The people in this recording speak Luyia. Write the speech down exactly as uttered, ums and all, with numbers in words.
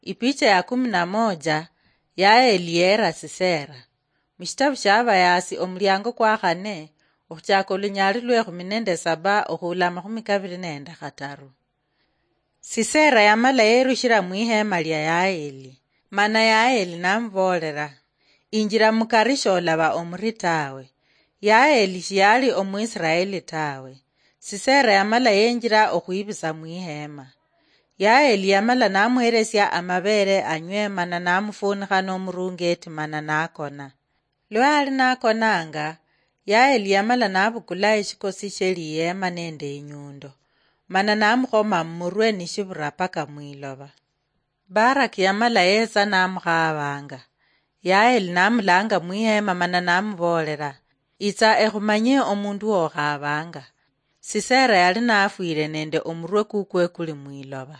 Ipicha ya kumi na moja. Yaeli yeera Sisera. Mushitabu sha Abayaasi, omulyango kwa khane, okhuchaka olunyaali lwekhumi nende saba okhuula amakhumi kabiri nende khataru. Sisera yamala yerushira mwiheema lya Yaeli, mana Yaeli namuboolera, "Injira mukari, sholaba omuri tawe." Yaeli shiyali Omwisiraeli tawe. Sisera yamala yenjira okhwibisa mwiheema. Yaeli yamala namuheresia amabeere anywe, mana namufuunikha nomurungeeti, mana nakona. Lwa yali nakonanga, Yaeli yamala nabukula eshikosi shie liyeema nende inyundo, mana namukhoma mumurwe nishibura paka mwiloba. Baraki yamala yetsa namukhaabanga. Yaeli namulanga mwiheema mana namuboolera, "Itsa ekhumanyie omundu wokhaabanga." Sisera yali nafwire nende omurwe kukwe kuli mwiloba.